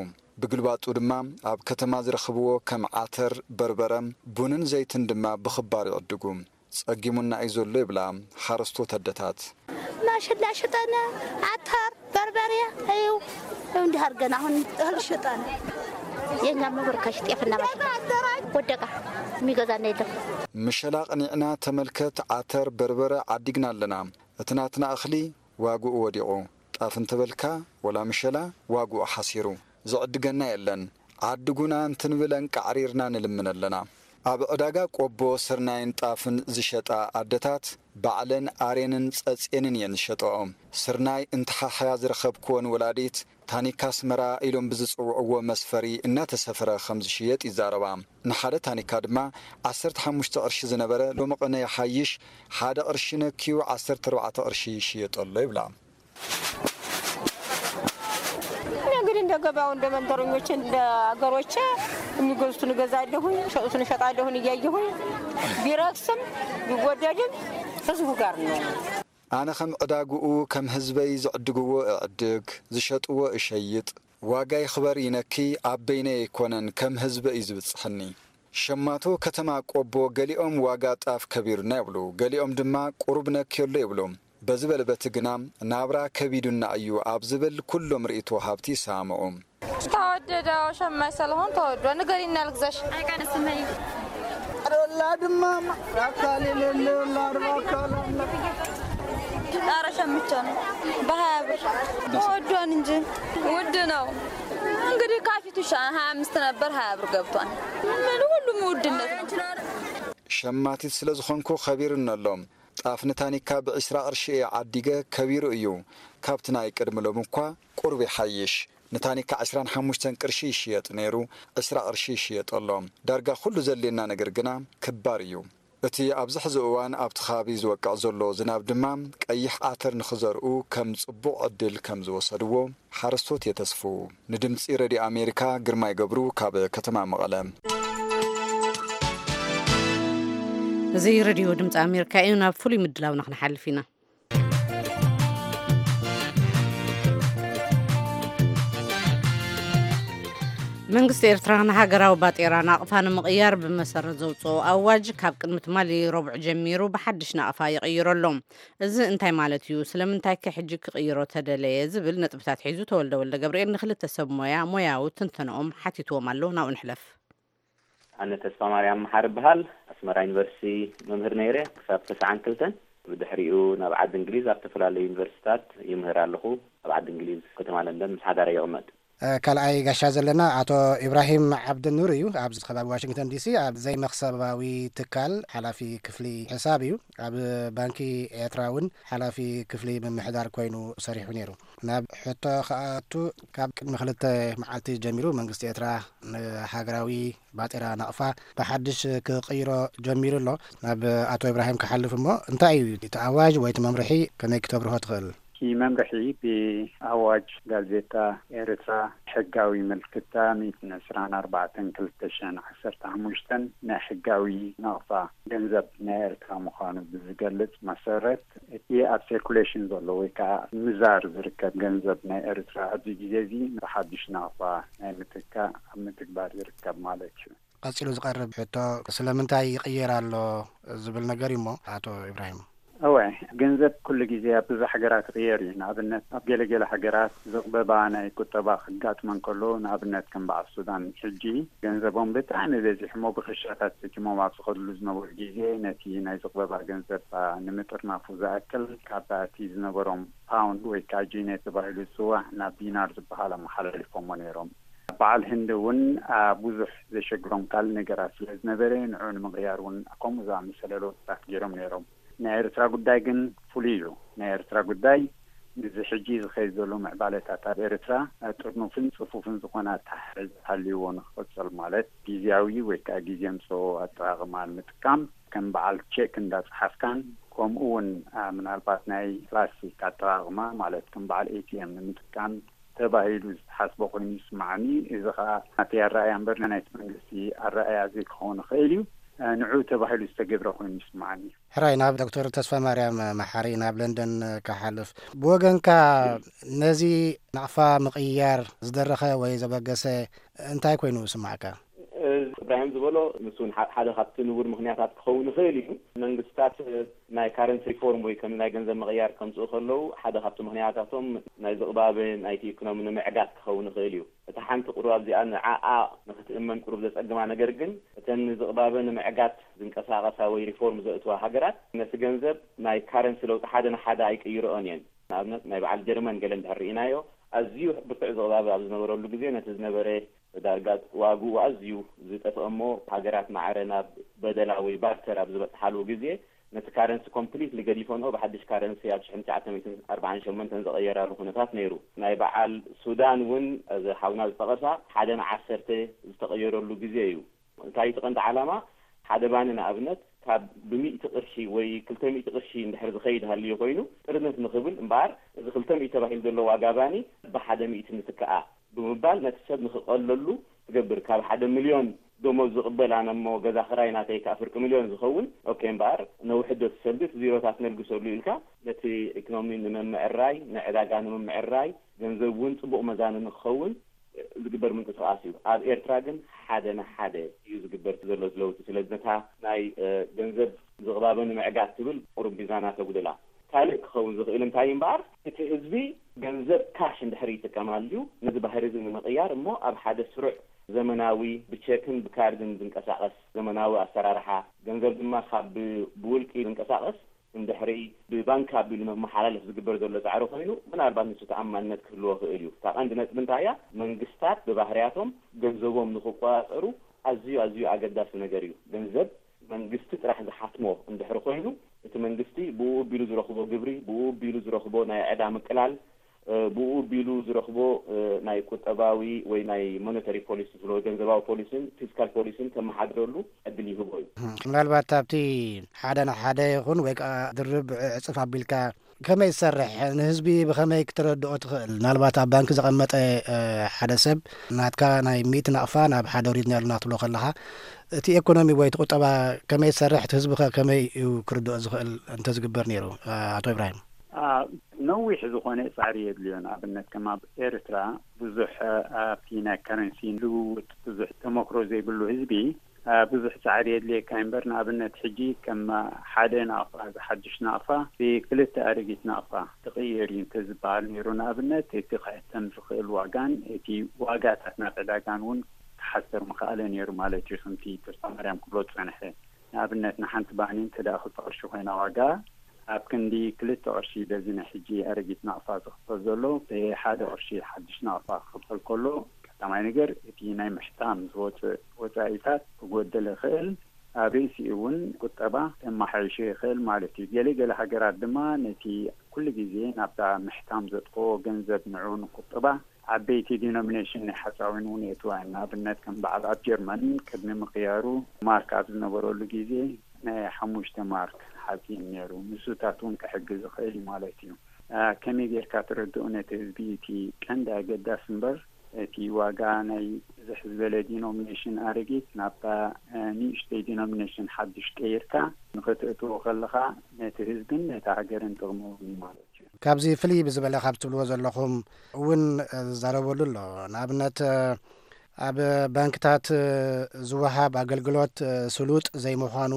ብግልባጡ ድማ ኣብ ከተማ ዝረኽብዎ ከም ዓተር፣ በርበረ፣ ቡንን ዘይትን ድማ ብኽባር ይዕድጉ። ጸጊሙና እዩ ዘሎ ይብላ ሓረስቶት ኣደታት። ማሽላ ሽጠና፣ ዓተር፣ በርበሬ እዩ። ይኸው እንዲህ አድርገን አሁን እህል ሽጠን የኛ መበርከሽ ጤፍና ማሽላ ወደቃ፣ የሚገዛና የለም። ምሸላ ቅኒዕና ተመልከት፣ ዓተር በርበረ ዓዲግና ኣለና። እቲ ናትና እኽሊ ዋግኡ ወዲቑ፣ ጣፍ እንተበልካ ወላ ምሸላ ዋግኡ ሓሲሩ፣ ዝዕድገና የለን። ዓድጉና እንትንብል ኣንቃዕሪርና ንልምን ኣለና። ኣብ ዕዳጋ ቆቦ ስርናይን ጣፍን ዝሸጣ ኣደታት ባዕለን ኣሬንን ጸጼንን እየን ዝሸጠኦ። ስርናይ እንተሓሕያ ዝረኸብክወን ወላዲት ታኒካ ኣስመራ ኢሎም ብዝጽውዕዎ መስፈሪ እናተሰፍረ ከም ዝሽየጥ ይዛረባ። ንሓደ ታኒካ ድማ ዓሰርተ ሓሙሽተ ቅርሺ ዝነበረ ሎሚ ቅነ ይሓይሽ ሓደ ቅርሺ ነክዩ ዓሰርተ ኣርባዕተ ቅርሺ ይሽየጥ ኣሎ ይብላ። እኔ እንግዲህ እንደ ገበያው እንደ መንደረኞቼ እንደ አገሮቼ የሚገዙትን እገዛለሁኝ፣ የሚሸጡትን እሸጣለሁኝ እያየሁኝ ቢረክስም ቢወደድም ህዝቡ ጋር ነው። ኣነ ከም ዕዳግኡ ከም ህዝበይ ዝዕድግዎ እዕድግ፣ ዝሸጥዎ እሸይጥ፣ ዋጋ ይኽበር ይነኪ ኣብ በይነይ ኣይኮነን ከም ህዝበ እዩ ዝብጽሐኒ። ሸማቶ ከተማ ቆቦ ገሊኦም ዋጋ ጣፍ ከቢሩና ይብሉ፣ ገሊኦም ድማ ቁሩብ ነክዮ ኣሎ ይብሉ። በዚ በለ በቲ ግና ናብራ ከቢዱና እዩ ኣብ ዝብል ኩሎም ርእይቶ ሃብቲ ይሰማምዑ። ተወደደ፣ ሸማች ሰለሆን ተወዶ ንገሪና ልግዛሽ። ዶላ ድማ ራካል የሌለ ዶላ ራካል አለ። ኧረ ሸምቻ ነው በሀያ ብር ተወዷን እንጂ ውድ ነው። እንግዲህ ካፊቱ ሻ- ሀያ አምስት ነበር ሀያ ብር ገብቷል። ምን ሁሉም ውድነት ነው። ሸማቲት ስለ ዝኾንኩ ከቢሩኒ ኣሎ። ጣፍ ንታኒካ ብዕስራ ቅርሺ እየ ዓዲገ፣ ከቢሩ እዩ። ካብቲ ናይ ቅድሚ ሎሚ እኳ ቁሩብ ይሓይሽ። ንታኒካ ዕስራን ሓሙሽተን ቅርሺ ይሽየጥ ነይሩ፣ ዕስራ ቅርሺ ይሽየጥ ኣሎ። ዳርጋ ኩሉ ዘድልየና ነገር ግና ክባር እዩ። እቲ ኣብዚ ሕዚ እዋን ኣብቲ ከባቢ ዝወቅዕ ዘሎ ዝናብ ድማ ቀይሕ ዓተር ንኽዘርኡ ከም ጽቡቕ ዕድል ከም ዝወሰድዎ ሓረስቶት የተስፍዉ። ንድምጺ ረድዮ ኣሜሪካ ግርማይ ገብሩ ካብ ከተማ መቐለ። እዚ ረድዮ ድምፂ ኣሜሪካ እዩ። ናብ ፍሉይ ምድላውና ክንሓልፍ ኢና። መንግስቲ ኤርትራ ንሃገራዊ ባጤራ ናቕፋ ንምቕያር ብመሰረት ዘውፅኦ ኣዋጅ ካብ ቅድሚ ትማሊ ረቡዕ ጀሚሩ ብሓድሽ ናቕፋ ይቕይሮ ኣሎ። እዚ እንታይ ማለት እዩ? ስለምንታይ ከ ሕጂ ክቕይሮ ተደለየ? ዝብል ነጥብታት ሒዙ ተወልደ ወልደ ገብርኤል ንክልተ ሰብ ሞያ ሞያዊ ትንተንኦም ሓቲትዎም ኣሎ። ናብኡ ንሕለፍ። ኣነ ተስፋ ማርያም መሓሪ እበሃል። ኣስመራ ዩኒቨርሲቲ መምህር ነይረ ክሳብ ተስዓን ክልተን። ብድሕሪኡ ናብ ዓዲ እንግሊዝ ኣብ ዝተፈላለዩ ዩኒቨርሲታት ይምህር ኣለኹ። ኣብ ዓዲ እንግሊዝ ከተማ ለንደን ምስ ሓዳረይ ይቕመጥ። ካልኣይ ጋሻ ዘለና ኣቶ ኢብራሂም ዓብድኑር እዩ። ኣብዚ ከባቢ ዋሽንግተን ዲሲ ኣብ ዘይመኽሰባዊ ትካል ሓላፊ ክፍሊ ሕሳብ እዩ። ኣብ ባንኪ ኤርትራ እውን ሓላፊ ክፍሊ ምምሕዳር ኮይኑ ሰሪሑ ነይሩ። ናብ ሕቶ ክኣቱ፣ ካብ ቅድሚ ክልተ መዓልቲ ጀሚሩ መንግስቲ ኤርትራ ንሃገራዊ ባጤራ ናቕፋ ብሓድሽ ክቕይሮ ጀሚሩ ኣሎ። ናብ ኣቶ ኢብራሂም ክሓልፍ እሞ፣ እንታይ እዩ እቲ ኣዋጅ ወይ እቲ መምርሒ፣ ከመይ ክተብርሆ ትኽእል? እቲ መምርሒ ብኣዋጅ ጋዜጣ ኤርትራ ሕጋዊ ምልክታ ሚእትን ዕስራን ኣርባዕተን ክልተ ሽሕን ዓሰርተ ሓሙሽተን ናይ ሕጋዊ ናቕፋ ገንዘብ ናይ ኤርትራ ምዃኑ ብዝገልጽ መሰረት፣ እቲ ኣብ ሴርኩሌሽን ዘሎ ወይ ከዓ ምዛር ዝርከብ ገንዘብ ናይ ኤርትራ ኣብዚ ግዜ እዚ ብሓድሽ ናቕፋ ናይ ምትካእ ኣብ ምትግባር ይርከብ ማለት እዩ። ቀጺሉ ዝቐርብ ሕቶ ስለምንታይ ይቕየር ኣሎ ዝብል ነገር እዩ እሞ፣ ኣቶ ኢብራሂም። እወ፣ ገንዘብ ኩሉ ግዜ ኣብ ብዙሕ ሃገራት ይቕየር እዩ። ንኣብነት፣ ኣብ ገለገለ ሃገራት ዝቕበባ ናይ ቁጠባ ክጋጥመን ከሎ፣ ንኣብነት ከም በዓል ሱዳን፣ ሕጂ ገንዘቦም ብጣዕሚ በዚሑ እሞ ብክሻታት ተኪሞም ኣብ ዝኸድሉ ዝነበሩ ግዜ፣ ነቲ ናይ ዝቕበባ ገንዘብ ንምጥርናፉ ዝኣክል፣ ካብ እቲ ዝነበሮም ፓውንድ ወይ ከዓ ጂኔ ተባሂሉ ዝፅዋዕ ናብ ዲናር ዝበሃል ኣመሓላሊፎሞ ነይሮም። በዓል ህንዲ እውን፣ አ፣ ብዙሕ ዘሸግሮም ካልእ ነገራት ስለ ዝነበረ፣ ንዕኡ ንምቕያር እውን ከምኡ ዝኣመሰለ ለውጥታት ገይሮም ነይሮም። ናይ ኤርትራ ጉዳይ ግን ፍሉይ እዩ። ናይ ኤርትራ ጉዳይ ምስዚ ሕጂ ዝኸይድ ዘሎ ምዕባለታት ኣብ ኤርትራ፣ አ፣ ጥርኑፍን ጽፉፍን ዝኾነ ኣተሓሕዛ ሃልይዎ ንክቕጽል፣ ማለት ግዝያዊ ወይ ከዓ ግዜ ኣምጽኦ ኣጠቓቕማ ንምጥቃም፣ ከም በዓል ቼክ እንዳጸሓፍካን፣ ከምኡ እውን፣ አ፣ ምናልባት ናይ ፕላስቲክ ኣጠቓቕማ፣ ማለት ከም በዓል ኤ ቲ ኤም ንምጥቃም ተባሂሉ ዝተሓስበ ኮይኑ ይስምዓኒ። እዚ ኸኣ ናተይ ኣረኣእያ እምበር ናይቲ መንግስቲ ኣረኣእያ ዘይክኸውን ይኽእል እዩ። ንዕኡ ተባሂሉ ዝተገብረ ኮይኑ ይስምዓኒ። ሕራይ፣ ናብ ዶክተር ተስፋ ማርያም መሓሪ ናብ ለንደን ክሓልፍ። ብወገንካ፣ ነዚ ናቕፋ ምቕያር ዝደረኸ ወይ ዘበገሰ እንታይ ኮይኑ ይስማዕካ? ከም ዝበሎ፣ ንሱ እውን ሓ-፣ ሓደ ካብቲ ንቡር ምኽንያታት ክኸውን ይኽእል እዩ። መንግስታት ናይ ካረንሲ ሪፎርም ወይ ከም ናይ ገንዘብ ምቕያር ከምፅኡ ከለዉ፣ ሓደ ካብቲ ምኽንያታቶም ናይ ዝቕባበ ናይቲ ኢኮኖሚ ንምዕጋት ክኸውን ይኽእል እዩ። እታ ሓንቲ ቁሩብ ኣብዚኣ ንዓኣ ንክትእመን ቁሩብ ዘጸግማ ነገር ግን፣ እተን ንዝቕባበ ንምዕጋት ዝንቀሳቐሳ ወይ ሪፎርም ዘእትዋ ሃገራት፣ ነቲ ገንዘብ ናይ ካረንሲ ለውጢ ሓደ ንሓደ ኣይቅይርኦን እየን። ንኣብነት፣ ናይ በዓል ጀርመን ገለ እንድሕር ርኢናዮ፣ ኣዝዩ ብርቱዕ ዝቕባበ ኣብ ዝነበረሉ ግዜ፣ ነቲ ዝነበረ ዳርጋ ዋግኡ ኣዝዩ ዝጠፍአ እሞ፣ ሃገራት ማዕረ ናብ በደላ ወይ ባርተር ኣብ ዝበጽሓሉ ግዜ፣ ነቲ ካረንሲ ኮምፕሊትሊ ገዲፈንኦ፣ ብሓድሽ ካረንሲ ኣብ ሽሕን ትሽዓተ ሚእትን ኣርባዓን ሸሞንተን ዝቐየራሉ ኩነታት ነይሩ። ናይ በዓል ሱዳን እውን፣ እዚ ሓውና ዝጠቐሳ፣ ሓደ ንዓሰርተ ዝተቐየረሉ ግዜ እዩ። እንታይ እቲ ቀንዲ ዓላማ? ሓደ ባኒ ንኣብነት ካብ ብሚእቲ ቅርሺ ወይ ክልተ ሚእቲ ቅርሺ እንድሕር ዝኸይድ ሃልዩ ኮይኑ፣ ጥርንፍ ንኽብል እምበኣር፣ እዚ ክልተ ሚእቲ ተባሂሉ ዘሎ ዋጋ ባኒ ብሓደ ሚእቲ ንትክኣ ብምባል፣ ነቲ ሰብ ንኽቐለሉ ትገብር። ካብ ሓደ ሚልዮን ደሞዝ ዝቕበል ኣነ እሞ ገዛ ክራይ ናተይ ከኣ ፍርቂ ሚልዮን ዝኸውን፣ ኦኬ እምበኣር፣ ነውሕዶ እቲ ሰልዲ፣ እቲ ዚሮታት ነልግሰሉ ኢልካ፣ ነቲ ኢኮኖሚ ንምምዕራይ፣ ንዕዳጋ ንምምዕራይ፣ ገንዘብ እውን ጽቡቕ መዛኒ ንክኸውን ዝግበር ምንቅስቓስ እዩ። ኣብ ኤርትራ ግን ሓደ ንሓደ እዩ ዝግበር ዘሎ ለውጢ። ስለዚ ነታ ናይ፣ እ፣ ገንዘብ ዝቕባበ ንምዕጋት ትብል ቁሩብ ሚዛና ተጉድላ። ካልእ ክኸውን ዝኽእል እንታይ እምበኣር፣ እቲ ህዝቢ ገንዘብ ካሽ እንድሕር ይጥቀም ኣልዩ፣ ነዚ ባህሪ እዚ ንምቕያር እሞ ኣብ ሓደ ስሩዕ ዘመናዊ ብቸክን ብካርድን ዝንቀሳቐስ ዘመናዊ ኣሰራርሓ፣ ገንዘብ ድማ ካብ ብ-፣ ብውልቂ ዝንቀሳቐስ እንድሕሪ ብባንክ ኣቢሉ መመሓላለፍ ዝግበር ዘሎ ጻዕሪ ኮይኑ፣ ምናልባት ንሱ ተኣማንነት ክህልዎ ክእል እዩ። እታ ቀንዲ ነጥቢ እንታይ እያ? መንግስታት ብባህርያቶም ገንዘቦም ንክቆጻጸሩ ኣዝዩ፣ ኣዝዩ ኣገዳሲ ነገር እዩ። ገንዘብ መንግስቲ ጥራሕ ዝሓትሞ እንድሕሪ ኮይኑ፣ እቲ መንግስቲ ብኡ ኣቢሉ ዝረኽቦ ግብሪ፣ ብኡ ኣቢሉ ዝረኽቦ ናይ ዕዳ ምቅላል፣ እ፣ ብኡ ኣቢሉ ዝረኽቦ፣ እ፣ ናይ ቁጠባዊ ወይ ናይ ሞኔታሪ ፖሊሲ ዝብሎ፣ ገንዘባዊ ፖሊሲን ፊስካል ፖሊሲን ከመሓድረሉ ዕድል ይህቦ እዩ። ምናልባት ኣብቲ ሓደ ንሓደ ይኹን ወይ ከዓ ድርብ ዕጽፍ ኣቢልካ ከመይ ዝሰርሕ ንህዝቢ ብኸመይ ክተረድኦ ትኽእል? ምናልባት ኣብ ባንክ ዘቐመጠ፣ እ፣ ሓደ ሰብ ናትካ ናይ ሚእቲ ናቕፋ ናብ ሓደ ወሪድና ኣለና ክትብሎ ከለኻ፣ እቲ ኤኮኖሚ ወይ እቲ ቁጠባ ከመይ ዝሰርሕ፣ እቲ ህዝቢ ከ ከመይ እዩ ክርድኦ ዝኽእል እንተዝግበር ነይሩ? እ፣ ኣቶ ኢብራሂም። አ፣ ነዊሕ ዝኾነ ጻዕሪ የድልዮ። ንኣብነት፣ ከም ኣብ ኤርትራ ብዙሕ፣ እ፣ ኣብቲ ናይ ከረንሲ ልውውጥ ብዙሕ ተመክሮ ዘይብሉ ህዝቢ፣ እ፣ ብዙሕ ጻዕሪ የድልየካ እምበር፣ ንኣብነት፣ ሕጂ ከም ሓደ ናቕፋ፣ እዚ ሓድሽ ናቕፋ ብክልተ ኣረጊት ናቕፋ ትቕየር እዩ እንተዝበሃል ነይሩ፣ ንኣብነት፣ እቲ ክሕተም ዝኽእል ዋጋን እቲ ዋጋታት ናብ ዕዳጋን እውን ክሓስር ምኽኣለ ነይሩ ማለት እዩ፣ ከምቲ ተስፋማርያም ክብሎ ዝጸንሐ። ንኣብነት፣ ንሓንቲ ባኒ እንተ ደኣ ክልተ ቅርሺ ኮይና ዋጋ፣ ኣብ ክንዲ ክልተ ቅርሺ በዚ ናይ ሕጂ ኣረጊት ናቕፋ ዝኽፈል ዘሎ፣ ብሓደ ቅርሺ ሓድሽ ናቕፋ ክኽፈል ከሎ፣ ቀዳማይ ነገር፣ እቲ ናይ ምሕታም ዝወጽእ ወጻኢታት ክጎደል ይኽእል። ኣብ ርእሲኡ እውን ቁጠባ ከመሓይሾ ይኽእል ማለት እዩ። ገለ ገለ ሃገራት ድማ ነቲ ኩሉ ግዜ ናብታ ምሕታም ዘጥፍኦ ገንዘብ ንዑ ንቁጠባ ዓበይቲ ዲኖሚኔሽን ናይ ሓፃዊን እውን የእትዋ እየን። ንኣብነት ከም በዓል ኣብ ጀርመን ቅድሚ ምቕያሩ ማርክ ኣብ ዝነበረሉ ግዜ ናይ ሓሙሽተ ማርክ ሓፂን ነይሩ። ንሱታት እውን ክሕግዝ ይኽእል እዩ ማለት እዩ። አ፣ ከመይ ጌርካ ትረድኡ ነቲ ህዝቢ? እቲ ቀንዲ ኣገዳሲ እምበር እቲ ዋጋ ናይ ብዝሕ ዝበለ ዲኖሚኔሽን ኣረጊት ናብታ፣ አ፣ ንእሽተይ ዲኖሚኔሽን ሓድሽ ቀይርካ ንኽትእትዎ ከለኻ ነቲ ህዝብን ነታ ሃገርን ጥቕሚ እውን እዩ ማለት እዩ። ካብዚ ፍልይ ብዝበለ ካብ ትብልዎ ዘለኹም እውን ዝዛረበሉ ኣሎ። ንኣብነት፣ ኣብ ባንክታት ዝወሃብ ኣገልግሎት ስሉጥ ዘይምዃኑ፣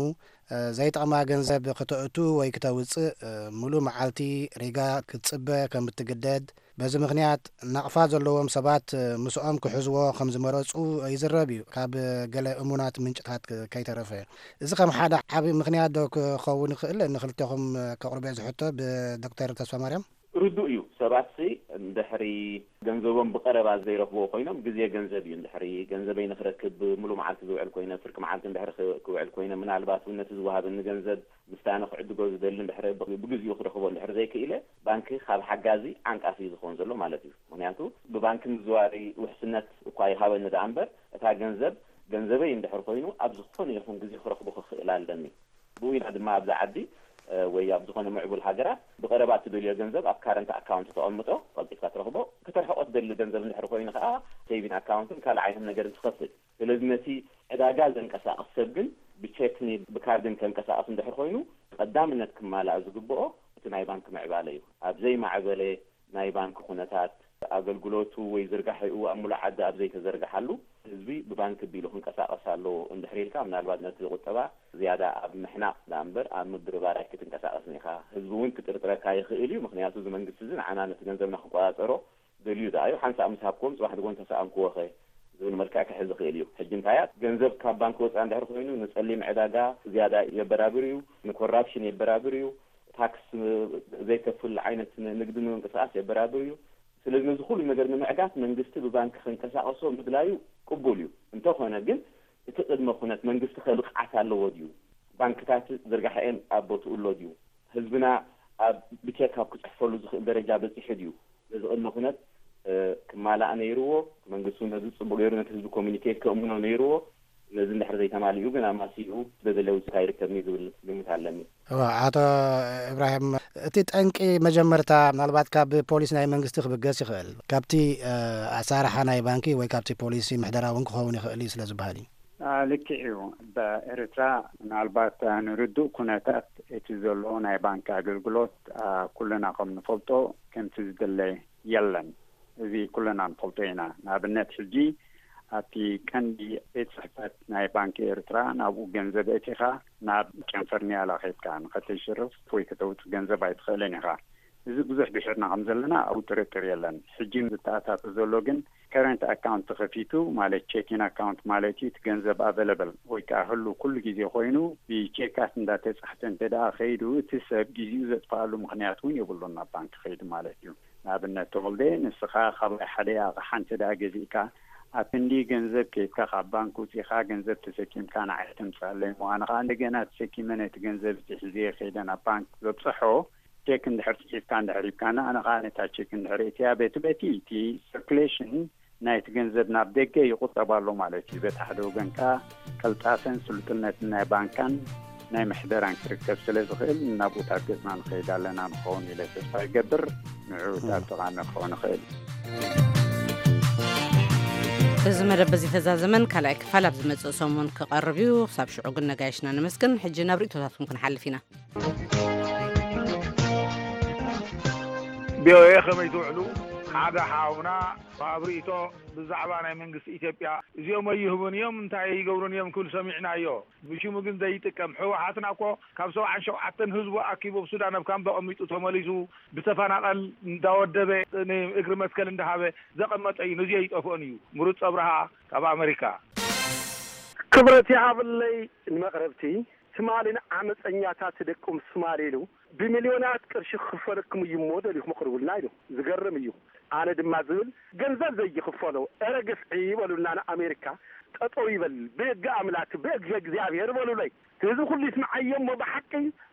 ዘይጠቕማ ገንዘብ ክተእቱ ወይ ክተውጽእ፣ ሙሉእ መዓልቲ ሪጋ ክትጽበ ከም እትግደድ፣ በዚ ምኽንያት ናቕፋ ዘለዎም ሰባት ምስኦም ክሕዝዎ ከም ዝመረጹ ይዝረብ እዩ፣ ካብ ገለ እሙናት ምንጭታት ከይተረፈ። እዚ ከም ሓደ ዓቢ ምኽንያት ዶ ክኸውን ይኽእል? ንኽልቴኹም ከቕርቦ እየ ዝሕቶ፣ ብዶክተር ተስፋማርያም። ርዱእ እዩ። ሰባትሲ እንድሕሪ ገንዘቦም ብቐረባ ዘይረኽብዎ ኮይኖም፣ ግዜ ገንዘብ እዩ። እንድሕሪ ገንዘበይ ንኽረክብ ብምሉእ መዓልቲ ዝውዕል ኮይነ፣ ፍርቂ መዓልቲ እንድሕሪ ክ-፣ ክውዕል ኮይነ፣ ምናልባት እውን ነቲ ዝወሃበኒ ገንዘብ ምስቲ ኣነ ክዕድጎ ዝደሊ እንድሕሪ ብ-፣ ብግዚኡ ክረኽቦ እንድሕሪ ዘይክኢለ፣ ባንኪ ካብ ሓጋዚ ዓንቃፊ እዩ ዝኸውን ዘሎ ማለት እዩ። ምኽንያቱ ብባንኪ ምዝዋሪ ውሕስነት እኳ ይሃበኒ ደኣ እምበር፣ እታ ገንዘብ ገንዘበይ እንድሕር ኮይኑ፣ ኣብ ዝኾነ ይኹን ግዜ ክረኽቦ ክኽእል ኣለኒ። ብኡ ኢና ድማ ኣብዛ ዓዲ፣ እ፣ ወይ ኣብ ዝኾነ ምዕቡል ሃገራት ብቐረባ እትደልዮ ገንዘብ ኣብ ካረንት ኣካውንት ተቐምጦ፣ ቀልጢፍካ ትረኽቦ፣ ከተርሕቆ ትደሊ ገንዘብ እንድሕር ኮይኑ ከኣ ሴቪን ኣካውንትን ካልእ ዓይነት ነገርን ትኸፍት። ስለዚ ነቲ ዕዳጋ ዘንቀሳቕስ ሰብ ግን ብቼክን ብካርድን ከንቀሳቕስ እንድሕር ኮይኑ፣ ቀዳምነት ክማላእ ዝግብኦ እቲ ናይ ባንክ ምዕባለ እዩ። ኣብ ዘይማዕበለ ናይ ባንክ ኩነታት፣ ኣገልግሎቱ ወይ ዝርጋሕኡ ኣብ ሙሉእ ዓዲ ኣብ ዘይተዘርግሓሉ፣ ህዝቢ ብባንክ ቢሉ ክንቀሳቐስ ኣለዎ እንድሕር ኢልካ፣ ምናልባት ነቲ ቁጠባ ዝያዳ ኣብ ምሕናቕ ደኣ እምበር ኣብ ምብርባር ኣይክትንቀሳቐስን ኢኻ። ህዝቢ እውን ክጥርጥረካ ይኽእል እዩ። ምኽንያቱ እዚ መንግስቲ እዚ ንዓና ነቲ ገንዘብና ክቆጻጸሮ ደልዩ ደኣ እዩ። ሓንሳእ ምስ ሃብክዎም ጽባሕ ንግሆ እንተሰኣንክዎ ኸ ዝብል መልክዕ ክሕዝ ይኽእል እዩ። ሕጂ እንታይ እያ፣ ገንዘብ ካብ ባንክ ወጻኢ እንድሕር ኮይኑ ንጸሊም ዕዳጋ ዝያዳ የበራብር እዩ፣ ንኮራፕሽን የበራብር እዩ፣ ታክስ ዘይከፍል ዓይነት ንግዲ ንምንቅስቃስ የበራብር እዩ። ስለዚ ነዚ ኩሉ ነገር ንምዕጋት መንግስቲ ብባንክ ክንቀሳቀሶ ምድላዩ ቅቡል እዩ። እንተኾነ ግን እቲ ቅድመ ኩነት መንግስቲ ከ ብቕዓት ኣለዎ ድዩ? ባንክታት ዝርጋሐኤን ኣብ ቦትኡ ኣሎ ድዩ? ህዝብና ኣብ ብቼክ ኣብ ክጽሕፈሉ ዝኽእል ደረጃ በጺሑ ድዩ? ነዚ ቅድመ ኩነት ክማላእ ነይርዎ። መንግስቲ እውን ነዚ ጽቡቅ ገይሩ ነቲ ህዝቢ ኮሚኒኬት ከእምኖ ነይርዎ። ነዚ እንድሕር ዘይተማሊኡ ግን ኣማሲኡ ስለ ዘለዊ ስካ ይርከብኒ ዝብል ግምት ኣለኒ። እዋ፣ ኣቶ እብራሂም፣ እቲ ጠንቂ መጀመርታ ምናልባት ካብ ፖሊሲ ናይ መንግስቲ ክብገስ ይኽእል፣ ካብቲ ኣሳርሓ ናይ ባንኪ ወይ ካብቲ ፖሊሲ ምሕደራ እውን ክኸውን ይኽእል እዩ ስለ ዝበሃል እዩ። ልክዕ እዩ። በኤርትራ ምናልባት ንርዱእ ኩነታት እቲ ዘሎ ናይ ባንኪ ኣገልግሎት ኩልና ከም ንፈልጦ ከምቲ ዝድለ የለን። እዚ ኩልና ንፈልጦ ኢና። ንኣብነት ሕጂ ኣብቲ ቀንዲ ቤት ጽሕፈት ናይ ባንኪ ኤርትራ ናብኡ ገንዘብ እቲኻ ናብ ጨንፈር ኒያላ ኸይድካ ንኸተሽርፍ ወይ ከተውጽእ ገንዘብ ኣይትኽእልን ኢኻ። እዚ ብዙሕ ድሒርና ከም ዘለና ኣብኡ ጥርጥር የለን። ሕጂ ዝተኣታተ ዘሎ ግን ከረንት ኣካውንት ተኸፊቱ ማለት ቼኪን ኣካውንት ማለት እዩ። እቲ ገንዘብ ኣቨለብል ወይ ከዓ ህሉ ኩሉ ግዜ ኮይኑ ብቼካት እንዳተጻሕፈ እንተ ደኣ ከይዱ እቲ ሰብ ግዜኡ ዘጥፍኣሉ ምኽንያት እውን የብሉን ናብ ባንክ ከይዱ ማለት እዩ። ንኣብነት ተወልደ ንስኻ ካባይ ሓደ ኣቕሓ እንተ ደኣ ገዚእካ ኣብ ክንዲ ገንዘብ ከይድካ ካብ ባንክ ውፂእካ ገንዘብ ተሰኪምካ ንዓይ ተምፅኣለይ እሞ ኣነ ከዓ እንደገና ተሰኪመ ነቲ ገንዘብ እቲ ሕዝየ ከይደ ናብ ባንክ ዘብፅሖ ቼክ እንድሕር ፅሒፍካ እንድሕር ሂብካና ኣነ ከዓ ነታ ቼክ እንድሕር እትያ በቲ በቲ እቲ ሰርኩሌሽን ናይቲ ገንዘብ ናብ ደገ ይቑጠብ ኣሎ ማለት እዩ። በቲ ሓደ ወገን ከዓ ቀልጣፈን ስልጡነትን ናይ ባንካን ናይ ምሕደራን ክርከብ ስለ ዝኽእል ናብኡታት ገፅና ንኸይድ ኣለና ንኸውን ኢለ ተስፋ ይገብር። ንዕኡ እታ ጥቓሚ ክኸውን ይኽእል። እዚ መደብ በዚ ተዛዘመን ካልኣይ ክፋል ኣብ ዝመጽእ ሰሙን ክቐርብ እዩ። ክሳብ ሽዑ ግን ነጋይሽና ነመስግን። ሕጂ ናብ ርእይቶታትኩም ክንሓልፍ ኢና። ቪኦኤ ከመይ ትውዕሉ? ሓደ ሓውና ኣብ ርእይቶ ብዛዕባ ናይ መንግስቲ ኢትዮጵያ እዚኦም ኣይህቡን እዮም እንታይ ይገብሩን እዮም ክብል ሰሚዕናዮ። ብሽሙ ግን ዘይጥቀም ህወሓትና እኮ ካብ ሰብዓን ሸውዓተን ህዝቡ ኣኪቡ ኣብ ሱዳን ኣብ ካምፕ ኣቐሚጡ ተመሊሱ ብተፈናቐል እንዳወደበ ንእግሪ መትከል እንዳሃበ ዘቐመጠ እዩ። ነዚ ኣይጠፍኦን እዩ። ምሩፅ ኣብርሃ ካብ ኣመሪካ። ክብረት ይሃብለይ ንመቕረብቲ። ትማሊ ንዓመፀኛታት ደቁም ትማሊ ኢሉ ብሚልዮናት ቅርሺ ክኽፈለኩም እዩ እሞ ደሊኹም ኣቕርቡልና ኢሉ። ዝገርም እዩ። ኣነ ድማ ዝብል ገንዘብ ዘይኽፈሎ፣ እረ ግፍዒ በሉልና ንኣሜሪካ ጠጠው ይበል፣ ብሕጊ ኣምላክ ብእግዘ እግዚኣብሔር በሉለይ። ህዝቢ ኩሉ ይስምዓዮ እሞ ብሓቂ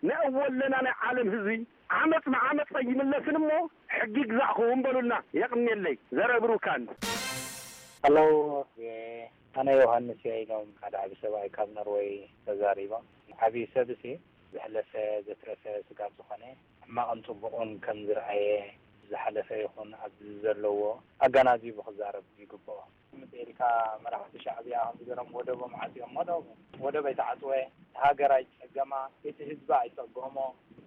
ንእወ ኣለና ናይ ዓለም ህዝቢ ዓመፅ ብዓመፅ ኣይምለስን እሞ ሕጊ ይግዛእኹም በሉልና። የቕንየለይ። ዘረ ብሩካን። ሄሎ፣ ኣነ ዮሃንስ እየ ኢሎም ሓደ ዓቢ ሰብኣይ ካብ ኖርወይ ተዛሪቦም። ዓቢ ሰብሲ ዘሕለፈ ዘትረፈ ስጋብ ዝኾነ ሕማቕን ጽቡቕን ከም ዝረኣየ ዝሓለፈ ይኹን ኣብዚ ዘለዎ ኣገናዚቡ ክዛረብ ይግብኦ። ከምዚ ኢልካ መራሕቲ ሻዕብያ ከምዚ ገይሮም ወደቦም ዓጽዮም፣ ወደቦም ወደብ ኣይተዓጽወ፣ እቲ ሃገር ኣይጸገማ፣ እቲ ህዝቢ ኣይጸገሞ፣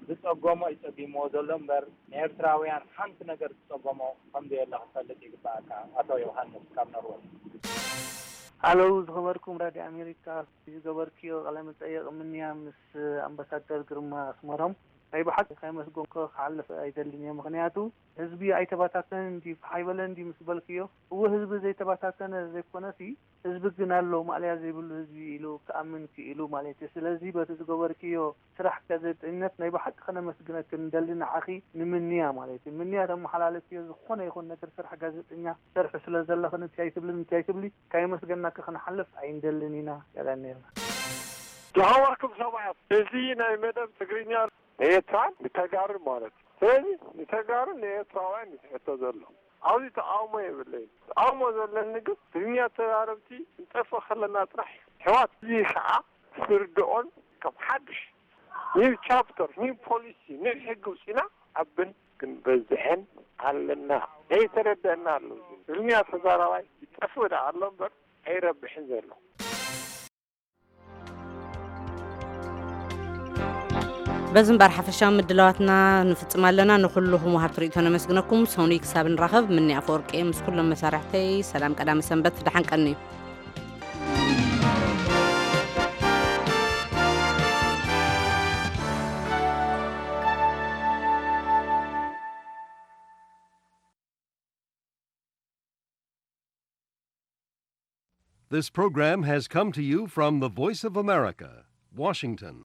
ዝጸገሞ እዩ ጸጊምዎ ዘሎ እምበር ንኤርትራውያን ሓንቲ ነገር ዝጸገሞ ከም ዘየለ ክትፈልጥ ይግባኣካ። ኣቶ ዮሃንስ ካብ ኖርወይ። ሃሎ ዝኸበርኩም ራድዮ ኣሜሪካ፣ ዝገበርክዮ ቃለ መጠየቕ ምንያ ምስ ኣምባሳደር ግርማ ኣስመሮም ናይ ብሓቂ ከየመስገንኮ ክሓልፍ ኣይደልን እየ። ምኽንያቱ ህዝቢ ኣይተባታተንን ድዩ፣ ፋሕ ኣይበለን ድዩ ምስ በልክዮ፣ እወ ህዝቢ ዘይተባታተነ ዘይኮነሲ ህዝቢ ግን ኣሎ፣ ማእለያ ዘይብሉ ህዝቢ ኢሉ ክኣምን ክኢሉ ማለት እዩ። ስለዚ በቲ ዝገበርክዮ ስራሕ ጋዜጠኝነት ናይ ብሓቂ ከነመስግነኪ ንደሊ፣ ንዓኺ ንምንያ ማለት እዩ። ምንያ ተመሓላልፍዮ ዝኾነ ይኹን ነገር ስራሕ ጋዜጠኛ ትሰርሒ ስለ ዘለኺ ንቲ ኣይትብሊ ንቲ ኣይትብሊ ካየመስገናኪ ክንሓልፍ ኣይንደልን ኢና። የቐንየልና። ዝኸበርኩም ሰባት፣ እዚ ናይ መደብ ትግርኛ ንኤርትራን ንተጋሩን ማለት እዩ። ስለዚ ንተጋሩን ንኤርትራውያን እዩ ትሕቶ ዘሎ። ኣብዚ ተቃውሞ የብለይን። ተቃውሞ ዘለኒ ግን ትግርኛ ተዛረብቲ ክንጠፍእ ከለና ጥራሕ እዩ። ኣሕዋት፣ እዚ ከዓ ክርድኦን ከም ሓድሽ ኒው ቻፕተር፣ ኒው ፖሊሲ፣ ኒው ሕጊ ውፂና ዓብን ክንበዝሕን ኣለና። ዘይተረደአና ኣሎ። እዚ ትግርኛ ተዛራባይ ይጠፍእ ደኣ ኣሎ እምበር ኣይረብሕን ዘሎ። በዚ እምበር ሓፈሻዊ ምድላዋትና ንፍጽም ኣለና። ንኹልኹም ወሃብቲ ርእይቶ ነመስግነኩም። ሰኑይ ክሳብ ንራኸብ፣ ምኒ ኣፈወርቂ ምስ ኩሎም መሳርሕተይ ሰላም ቀዳመ ሰንበት፣ ደሓን ቀንዩ። This program has come to you from the Voice of America, Washington.